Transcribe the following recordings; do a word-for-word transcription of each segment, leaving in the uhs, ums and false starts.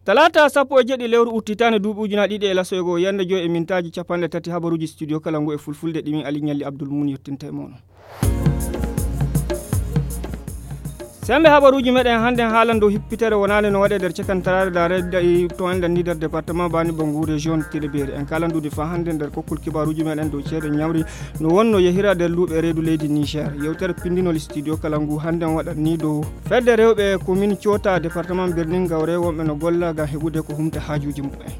Talaata sappo e jeɗɗi lewru uttitaani duuɓi ujunaaji ɗiɗi e laso e goo, yande joy e mintaaji capanɗe tati, habaruuji studio kala ngu e fulfulde ɗimin Ali Ñalli Abdul Mun yettinta e mooɗon. Sembe habaruuji meɗen hannden haalan dow hippitere wonaande no waɗe nder cakantaraare daare daɗi to enɗan ni nder département Bani Bangu région Tilaberi. En kaalan duudi faa hannden nder kokkol kibaaruuji meɗen dow ceede ñamri no wonno yehira nder luuɓe reedu leydi Niger. Yewtere pindinol studio kala ngu hannden waɗan ni dow fedde rewɓe commune Coota département Birnin Gawre wonɓe no golla ngam heɓude ko humta haajuuji muɓɓen.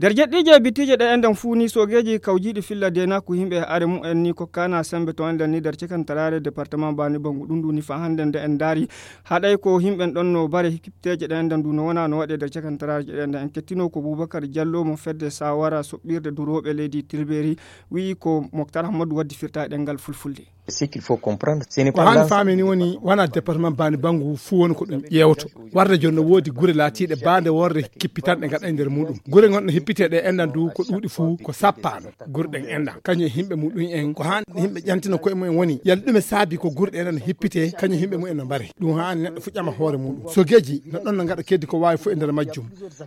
Nder jeɗɗiije e bittiije ɗe enɗan fuu ni soogeeji kawjiiɗi filla deenaaku yimɓe e are mu'en ni kokkaana sembe to enɗan ni nder cakantaraare département Bani Bangu ɗum ɗum ni faa hannden nde en ndaari haɗay ko yimɓen ɗon no bare hippiiteeje ɗe enɗan ndu no wona no waɗe nder cakantaraare ɗe enɗan en kettino ko Boubacar Diallo mo fedde sawara soɓɓirde durooɓe leydi Tilaberi wi'i ko Moktar Hammadou waddi firta e ɗemngal fulfulde. Ko haani faami ni woni wona département Bani Bangu fuu woni ko ɗum ƴeewoto. Warde jooni no woodi gure laatiiɗe baande worre kippitanɗe ngaɗa e nder muɗum. Gure gonɗe hippiteeɗe enɗan du ko ɗuuɗi fuu ko sappaano. Gure ɗen enɗan kañum e yimɓe muɗum en ko haani yimɓe ƴantina koye mumen woni yalla ɗume saabi ko gure ɗe enɗan hippite kañum yimɓe mumen no mbare. Ɗum haani neɗɗo fuu ƴama hoore muɗum. Sogeeji no ɗon no ngaɗa keddi ko waawi fuu e nder majjum.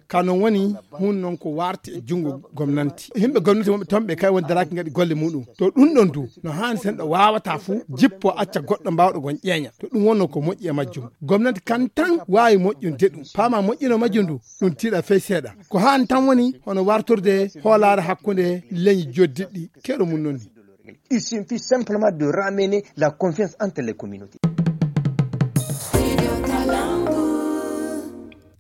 Ka non woni hun non ko warti e junngo gomnanti. Yimɓe gomnati wonɓe toon ɓe kay woni daraaki ngaɗi golle muɗum. To ɗum ɗon du no haani sen ɗo waawata fuu jippo acca goɗɗo mbaawɗo gon ƴeeña. To ɗum wonno ko moƴƴi e majjum. Gomnati kan tan waawi moƴƴude ɗum. Paama moƴƴino majjum du ɗum tiiɗa fey seeɗa. Ko haani tan woni hono wartorde hoolaare hakkunde leñi joddiɗɗi. Keɗo mum non ni. Il suffit simplement de ramener la confiance entre les communautés.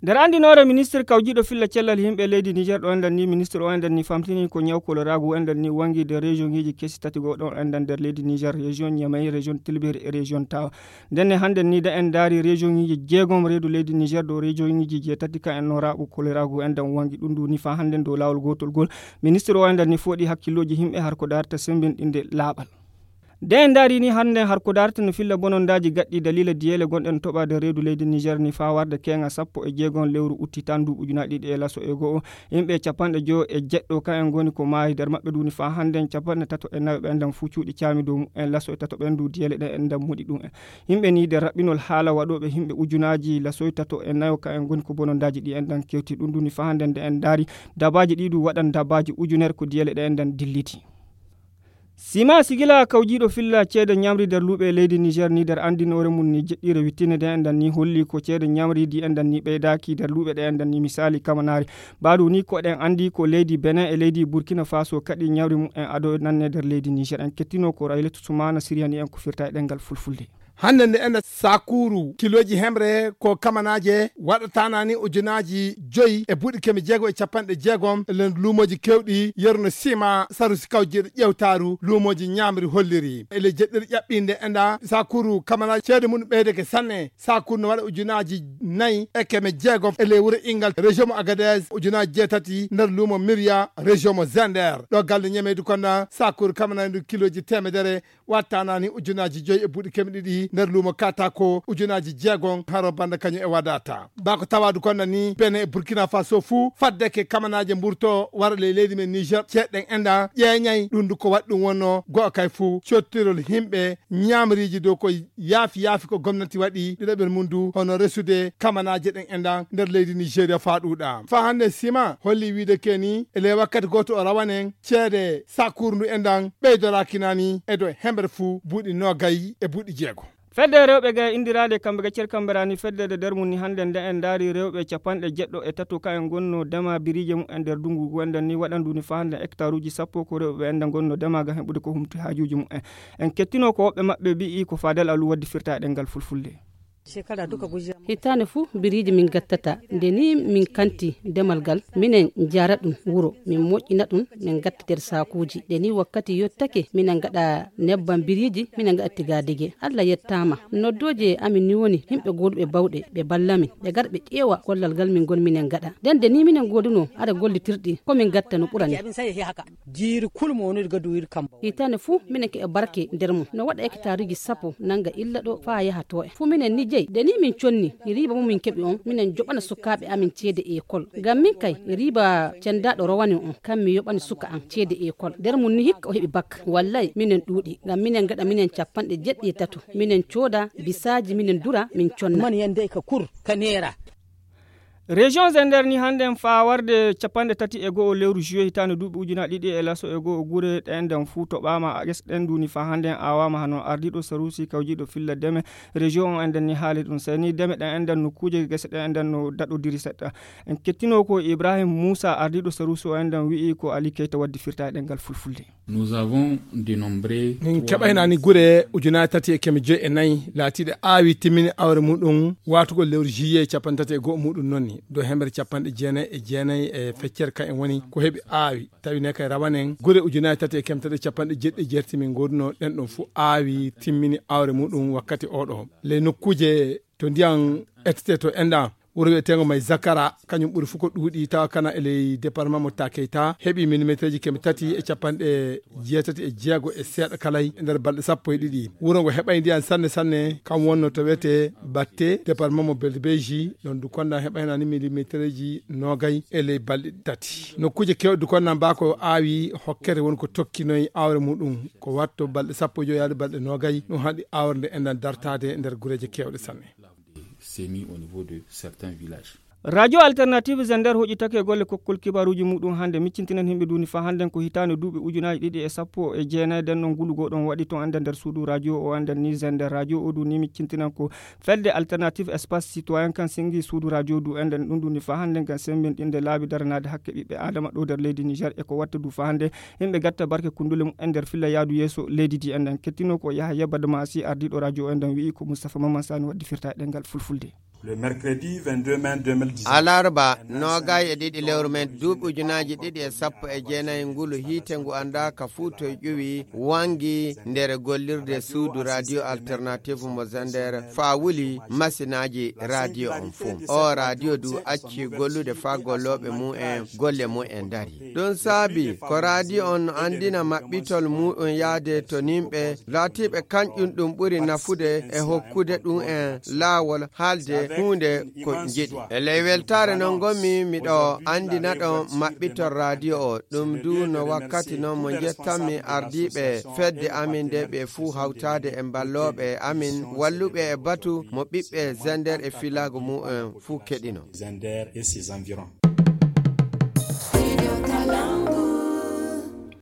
Nder anndinoore ministre kawjiiɗo filla cellal yimɓe leydi Niger ɗo enɗan ni ministre o enɗan ni famtini ko ñaw koloraagu enɗan ni wangi nder région ngiji kesi tati go ɗo enɗan nder leydi Niger, région Niamey, région Tilaberi e région Tawa. Ndenne hannden ni da en ndaari région ngiji jeegom reedu leydi Niger ɗo région ngiji jeetati ka en no raaɓu koloraagu enɗan wangi ɗum ɗum ni faa hannden dow laawol gootol gol. Ministre o enɗan ni fooɗi hakkillooji yimɓe har ko daarta semmbinɗinde laaɓal. Nde en ndaari ni hannden har ko daarta no filla bonondaaji gaɗɗi daliila diyeele gonɗen toɓaade reedu leydi Niger ni faa warde keeŋa sappo e jeegom lewru utti tan ndu ujunaaji ɗiɗi e laso e go'o. Yimɓe capanɗe jowo e jeɗɗo ka en ngoni ko maayi nder maɓɓe ndu ni faa hannden capanɗe tato e nayo ɓe enɗan fuu cuuɗi caami dow mumen laso e tato ɓen ndu diyeele ɗen enɗan moɗi ɗum en. Yimɓe ni nder raɓɓinol haala waɗooɓe yimɓe ujunaaji laso e tato e nayo ka en ngoni ko bonondaaji ɗi enɗan kewti ɗum ndu ni faa hannden nde en ndaari dabaaji ɗi ɗum waɗan dabaaji ujunere ko diyeele ɗe enɗan dilliti. Sima sigila kawjiiɗo filla ceede ñamri nder luuɓe leydi Niger ni nder anndinoore mum ni jeɗɗiire wittinde nde enɗan ni holli ko ceede ñamri di enɗan ni ɓeydaaki nder luuɓe ɗe enɗan ni misaali kamanaari. Mbaɗu ni ko ɗen anndi ko leydi Benin e leydi Burkina Faso kaɗi ñamri mum en ado nanne nder leydi Niger. En kettino ko Rayletu Sumana Siriyani en ko firta e ɗemngal fulfulde. Hannde nde enɗan sakuuru kilooji hemre ko kamanaaje waɗataanani ujunaaji joyi e buuɗi keme jeego e capanɗe jeegom e nder luumooji kewɗi yeru no sima saru si kawjiiɗo ƴewtaaru luumooji ñaamri holliri. E ley jeɗɗiri ƴaɓɓiinde enɗan sakuuru kamanaaje ceede mum ɓeydeke sanne. Sakuuru no waɗa ujunaaji nayi e keme jeegom e ley wuro Ingal région mo Agadez, ujunaaji jeetati nder luumo Miriya région mo Zender. Ɗo galle ñameydu konɗan sakuuru kamanaaje ndu kilooji teemedere wattaanani ujunaaji joyi e buuɗi keme ɗiɗi nder luumo Katako ujunaaji jeegom haro banda kañum e wadata. Bako tawaadu konɗan ni Benin e Burkina Faso fuu faddeke kamanaaje mburto wara ley leydi men Niger ceeɗen enɗan ƴeeñay ɗum ndu ko waɗi ɗum wonno go'o kay fuu cottirol yimɓe ñaamriiji dow ko yaafi yaafi ko gomnati waɗi ɗiɗaɓel mum ndu hono resude kamanaaje ɗen enɗan nder leydi Nigeria faa ɗuuɗa. Faa hannde sima holli wiide keni e ley wakkati gooto o rawanen ceede sakuuru ndu enɗan ɓeydoraaki nani e dow hemre fuu buuɗi noogay e buuɗi jeego. Fedde rewɓe ga e indiraade kamɓe ga cer kamɓe rani fedde de nder mum ni hannde nde en ndaari rewɓe capanɗe jeɗɗo e tato ka en ngonno dema biriije mum en nder dungu ngu enɗan ni waɗandu ni faa hannde hectare uji sappo ko rewɓe enɗan ngonno dema ga heɓude ko humti haajuuji mum en. En kettino ko woɓɓe maɓɓe mbi'i ko Fadel Alu waddi firta e ɗemngal fulfulde. Hitaande fuu biriiji min ngattata. Nde ni min kanti demal ngal, minen njaara ɗum wuro, min moƴƴina ɗum, min ngatta nder saakuuji. Nde ni wakkati yottake, minen ngaɗa nebbam biriiji, minen ngaɗa tigaadege. Allah yettaama. Noddooje amin ni woni yimɓe gooduɓe bawɗe, ɓe mballa min, ɓe ngara ɓe ƴeewa gollal ngal min ngoni minen ngaɗa. Nden nde ni minen ngoodunoo hara gollitirɗi, ko min ngatta no ɓurani. Jiiri kul mo woniri gadu wiri kam. Hitaande fuu minen keɓa barke nder mum. No waɗa hectareji sappo nannga illa ɗo faa yaha to en. Fuu minen ni jeyi. Nde ni min conni, riiba mo min keɓi on, minen joɓana sukaaɓe amin ceede ekol. Ngam min kay, riiba cendaaɗo rowani on, kam mi yoɓani suka am ceede ekol. Nder mum ni hikka o heɓi bak. Wallay, minen ɗuuɗi. Ngam minen ngaɗa minen capanɗe jeɗɗi e tato. Minen cooda bisaaji, minen dura, min conna. Man yande ka kur, ka neera. Région Zender ni hannden faa warde capanɗe tati e go'o lewru juillet hitaande duuɓi ujunaaji ɗiɗi e laso e go'o, gure ɗen ɗen fuu toɓaama, gese ɗen du ni faa hannden aawaama. Hano ardiiɗo saruusi kawjiiɗo filla deme région on enɗen ni haali ɗum. Sey ni deme ɗen enɗen, nokkuuje gese ɗen enɗen no daɗodiri seɗɗa. En kettinoo ko Ibrahim Muusa, ardiiɗo saruusi o enɗen, wi'i ko Ali Keyta waddi firta e ɗemngal fulfulde. Nous avons dénombré min keɓaynaani gure ujunaaji tati e keme joyi e nayi laatiiɗe aawi timmini aawre muɗum waatugol lewru juillet capanɗe tati e go'o muɗum noon ni. Dow hemre capanɗe jeenayi e jeenayi e feccere ka en woni ko heɓi aawi. Tawi ne kay rawanen gure ujunaaji tati e keme tati e capanɗe jeeɗiɗi e jeetati min ngoodunoo ɗen ɗon fuu aawi timmini aawre muɗum wakkati oo ɗoo. Ley nokkuuje to ndiyan ettete to enɗan, wuro wi'eteengo May Zakara, kañum ɓuri fuu ko ɗuuɗi tawa kana e ley département mo Takeyta, heɓi millimétreji keme tati e capanɗe jeetati e jeego e seeɗa kalay e nder balɗe sappo e ɗiɗi. Wuro ngo heɓay ndiyan sanne sanne, kam wonno to wi'etee Batte, département mo Belbeji, ɗon du konda heɓaynaani millimétreji noogay e ley balɗe tati. Nokkuuje keewɗe du konda mbaa ko aawi hokkere woni ko tokkinoy aawre muɗum, ko watto balɗe sappo e jowi yaade balɗe noogay, ɗum haɗi aawre nde enɗan dartaade nder gureeje keewɗe sanne. Semis au niveau de certains villages. Radio Alternative Zender hoƴitake golle kokkol kibaruuji muɗum hannde. Miccintinen himɓe duni fa hannden ko hitaande duuɓi ujunaaji ɗiɗi e sappo e jeenayi, nden non ngulu goo ɗon waɗi to enɗan nder suudu radio o enɗan ni Zender. Radio o du ni miccintinan ko fedde Alternative Espace Citoyen kan singi suudu radio du enɗan ɗum duni fa hannden ngam semmbinɗinde laabi daranaade hakke ɓiɓɓe Aadama ɗo nder leydi Niger e ko watta du fa hannde yimɓe gatta barke kundule mumen nder filla yaadu yeeso leydi di enɗan. Kettino ko Yahaya Badamasi, ardiiɗo radio enɗan, wi'i ko Moustapha Maman Sani waddi firta e ɗemngal fulfulde. Le mercredi vingt-deux mai deux mille dix-neuf. Alarba, noogay e ɗiɗi lewru men, duuɓi ujunaaji ɗiɗi e sappo e jeenayi ngulu hiite ngu anndaa ka fuu toy ƴuwi, wangi nder gollirde suudu radio Alternative mo Zender, faa wuli masinaaji radio on fuu. O radio du acci gollude faa gollooɓe mumen golle mumen ndari. Ɗum saabi ko radio on no anndina maɓɓitol muɗum yaade to nimɓe laatiiɓe kañƴum ɗum ɓuri nafude e hokkude ɗum en laawol haalde huunde ko njiɗi. E ley weltaare non ngonmi miɗo anndina ɗon maɓɓitol radio o. Ɗum du no wakkati non mo njettanmi ardiiɓe fedde amin nde ɓe fuu hawtaade e mballooɓe amin walluɓe e batu mo ɓiɓɓe Zender e filaago mu'en fuu keɗino. Zender et ses environs.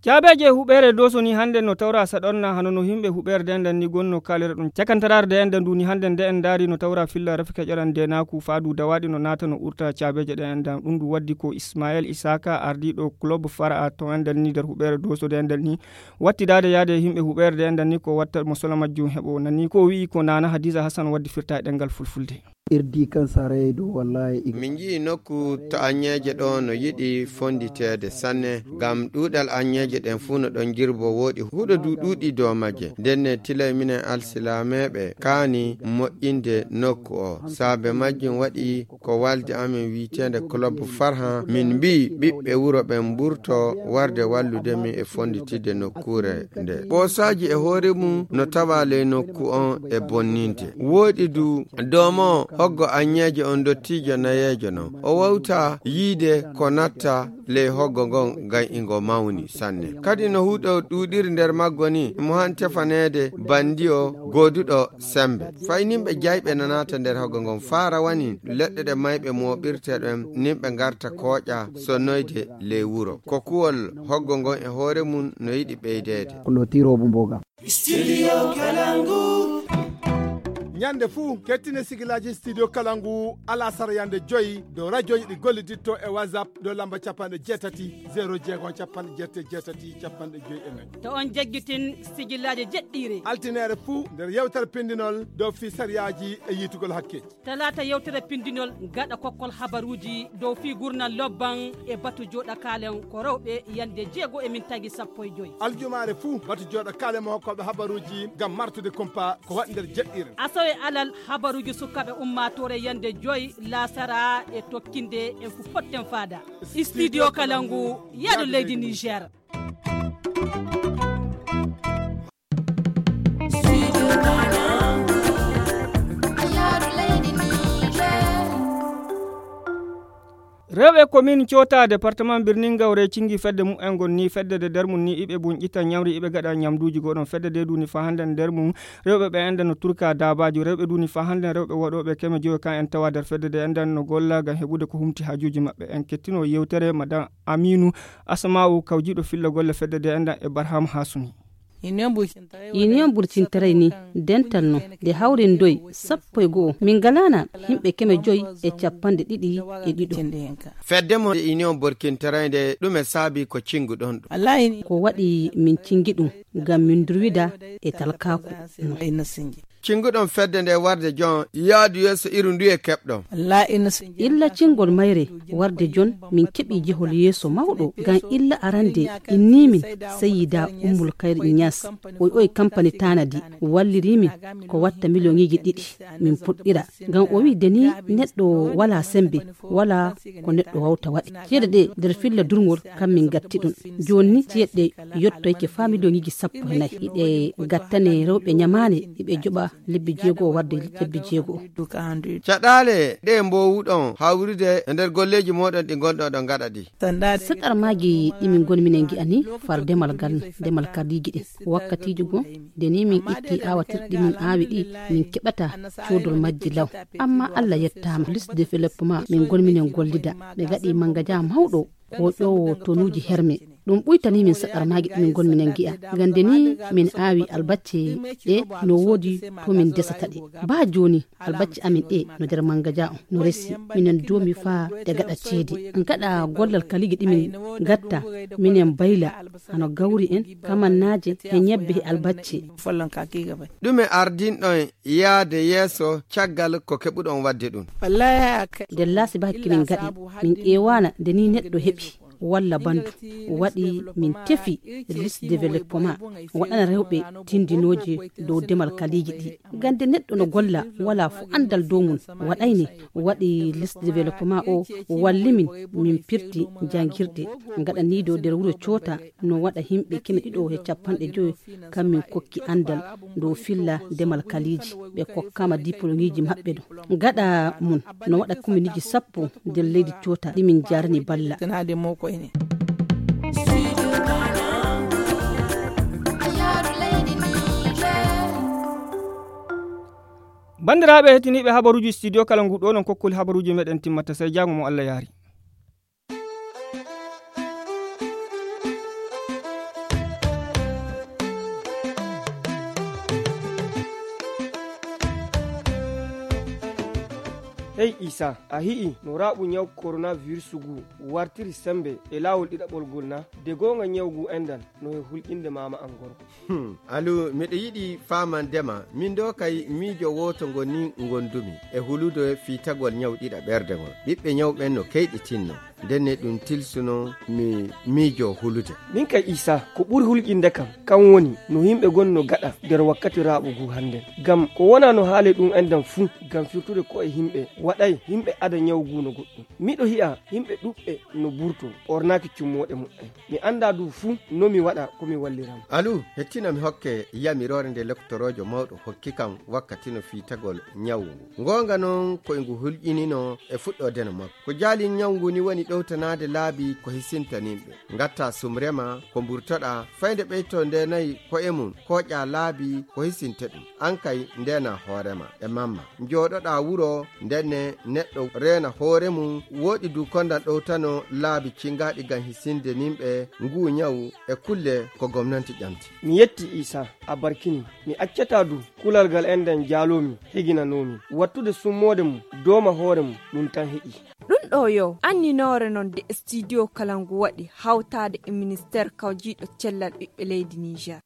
Caabeeje huɓeere Dooso ni hannde no tawra saɗonna hano no himɓe huɓeere dendan ni gonno kaalira ɗum. Cakantaraare de enɗan du ni hannde nde en ndaari no tawra filla rafi keƴalan denaaku faadu dawaaɗi no naata no urta caabeeje ɗe enɗan. Ɗum du waddi ko Ismael Isaka, ardiiɗo club Fara to enɗan ni nder huɓeere Dooso de enɗan ni wattidaade yaade e himɓe huɓeere de enɗan ni ko watta mo solo majjum heɓo. Nani ko wi'i ko Nana Hadiza Hassan waddi firta e ɗemngal fulfulde. Irdi kan saray do wallahi ig- Min nji'i nokku to aññeeje ɗo no yiɗi fonnditeede sanne, ngam ɗuuɗal aññeeje ɗen fuu no ɗon jirbo wooɗi huɗo du ɗuuɗi dow majje. Ndenne tilay minen alsilaameeɓe kaani moƴƴinde nokku o. Saabe majjum waɗi ko waldi amin wi'eteende Club Farhan, min mbi'i ɓiɓɓe wuro ɓen mburto warde wallude min e fonnditidde nokkuure nde. Ɓoosaaji e hoore mum no tawa ley nokku on e bonninde. Wooɗi du doomo hoggo aññeeje on ndottiijo nayeejo non. O wawta yiide ko natta ley hoggo ngon ngam ingo mawni sanne. Kadi no huɗo ɗuuɗiri nder maggo ni, mo han tefaneede bandi o gooduɗo sembe. Fay nimɓe jayɓe no naata nder hoggo ngon faa rawanin leɗɗe ɗe mayɓe mooɓirte ɗen, nimɓe ngarta kooƴa sonnoyde ley wuro. Ko kuwol hoggo ngon e hoore mum no yiɗi ɓeydeede. Clôture o bu mboga. Studio Kalangu. Ñande fuu, kettine sigilaaji Studio Kalangu, alasara yande joyi, dow radioji ɗi golliditto e WhatsApp, dow lamba capanɗe jeetati, zéro jeego, capanɗe jeetati, capanɗe joyi e nayi. To on jaggitin sigilaaji jeɗɗiire. Altineere fuu, nder yewtere pindinol, dow fii sariyaaji e yiitugol hakke. Talaata yewtere pindinol gaɗa kokkol habaruuji dow fii gurnal lobban e batu jooɗa kaalen ko rewɓe yande jeego e min tagi sappo e joyi. Aljumaare fuu batu jooɗa kaalen mo hokkooɓe habaruuji ngam martude kumpa ko waɗi nder jeɗɗiire. Asawe alal habaruuji sukaaɓe ummaatoore yande joyi laasara e tokkinde en fu potten faada. Studio Kalangu, yaadu leydi Niger. Rewɓe komin Coota, departement Birningaw, re cingi fedde mum en ngon ni, fedde de nder mum ni iɓe bunƴita ñamri, iɓe gaɗa ñamduuji goɗon. Fedde de duni fa hannde nder mum rewɓe ɓe enden no turka daabaaji. Rewɓe duni fa hannde rewɓe waɗooɓe keme joyo kan en tawa nder fedde de enden no golla ngam heɓude ko humti haajuuji maɓɓe. En kettino yewtere madame Aminu Asma'u, kawjiiɗo filla golle fedde de enden e Barham Hasumi. Union burtintaray ni dental no nde hawrindoy sappo e go'o. Min ngalaana yimɓe keme joy e capanɗe ɗiɗi e ɗiɗo. Fedde mo Union burtintaray nde, ɗume saabi ko cinguɗon ɗum? Ko waɗi min cingi ɗum ngam min durwida e talkaaku no. Cinguɗon fedde nde warde jon yaadu yeeso iru nduye keɓɗon? Illa cingol mayre warde jon min keɓi jehol yeeso mawɗo ngam illa arande inni min Sayyida Ummul Kayr Inyas. O oy kampani tanadi walliri min ko watta miliyoŋiiji ɗiɗi min puɗɗira. Ngam o wi deni neɗɗo wala sembe, wala ko neɗɗo wawta waɗi. Ceede ɗe nder filla durŋol kam min gatti ɗum. Joni ni ceede ɗe yottoyke fa miliyoŋiiji sappo e nayi. Iɗe gattane rewɓe ñamaane, iɓe joɓa lebbi jeego warde lebbi jeego. Caɗaale ɗe mbowuɗon hawrude e nder golleeji moɗon ɗi ngonɗon ɗon gaɗa ɗi? Seɗar maaji ɗi min ngoni minen ngi'ani far demal gal, demal kardiiji ɗin. Wakkatiiji goo, nde ni min itti aawatirɗi min aawi ɗi, min keɓata coodol majji law. Amma Allah yettaama, liste développement min ngoni minen gollida. Ɓe ngaɗi mangaja mawɗo ko ƴoowo tonuuji herme. Ɗum ɓuytanii min saɗar maaji ɗi min ngoni minen ngi'a. Ngam nde ni min aawi albacce ɗe no woodi to min desata ɗe. Baa jooni, albacce amin ɗe no nder mangaja on, no resi. Minen doomi faa ɗe gaɗa ceede. Gaɗa gollal kaliiji ɗi min ngatta, minen bayla, hano gawri en, kamannaaje, he ñebbe, he albacce. Ɗume ardinɗon yaade yeeso caggal ko keɓuɗon waɗde ɗum? Nder laasi ba hakki min ngaɗi, min ƴeewaana nde ni neɗɗo heɓi walla bandu waɗi min tefi liste développement waɗana rewɓe tindinooje dow demal kaliiji ɗi. Ngam nde neɗɗo no golla wala fo anndal dow mum waɗayne waɗi liste développement o walli min, min pirti janngirɗe ngaɗaniiɗo nder wuro Coota no waɗa yimɓe keme ɗiɗo he capanɗe joyo kam min kokki anndal dow filla demal kaliiji. Ɓe kokkaama diplômeji maɓɓe ɗo gaɗa mum no waɗa kominiiji sappo nder leydi Coota ɗi min jarani balla. Banndiraaɓe hettiniiɓe habaruuji studio kala ngu ɗo non kokkuli habaruuji meɗen timmata, sey jaamu mo Allah yaari. Hey Isa, a hi'i no raaɓu ñaw coronavirus ngu wartiri sembe e laawol ɗiɗaɓol ngol na? De goonga ñaw ngu endan no e hulƴinde maama an gorko. Hmm, Alu, miɗo yiɗi faamandema, min ɗo kay miijo wooto ngo ni ngondumi e hulude fiitagol ñaw ɗiɗaɓerde ngol. Ɓiɓɓe ñaw ɓen no keyɗitinno, ndenne ɗum tilsuno mi miijo hulude. Min kay Isa, ko ɓuri hulƴinde kam, kan woni no yimɓe gon no gaɗa nder wakkati raaɓu ngu hannden. Ngam ko wona no haale ɗum endan fuu, ngam firtude ko'e yimɓe, waɗay yimɓe ada ñaw ngu no goɗɗum. Miɗo hi'a yimɓe ɗuɓɓe no burto, ɓornaaki cummooɗe muɓɓen. Mi anndaa du fuu no mi waɗa ko mi wallira mo. Alu, hettina mi hokke yamiroore nde lektoroojo mawɗo hokki kam wakkati no fiitagol ñawu ngu. Ngoonga noon ko e ngu hulƴinino e fuɗɗoode no makko. Ko jaali ñawu ngu ni woni ɗowtanaade laabi ko hisintaninɓe. Ngatta sumrema ko mburtoɗaa, fayde ɓeyto ndeenayi ko'e mum, kooƴaa laabi ko hisinta ɗum. An kay ndeena hoorema e mamma. Njooɗoɗaa wuro, ndenne neɗɗo reena hoore mum, wooɗi du kondan ɗowtano laabi cingaaɗi ngam hisinde nimɓe nguu ñawu e kulle ko gomnanti ƴamti. Mi yetti Isa, a barkini. Mi accataa du kulal ngal enɗan jaaloomi heginanoomi. Wattude summoode mum, dooma hoore mum, ɗum tan heƴi. Ɗum ɗo yo anninoore non de studio kala ngu waɗi hawtaade e ministeer kawjiiɗo cellal ɓiɓɓe leydi Niger.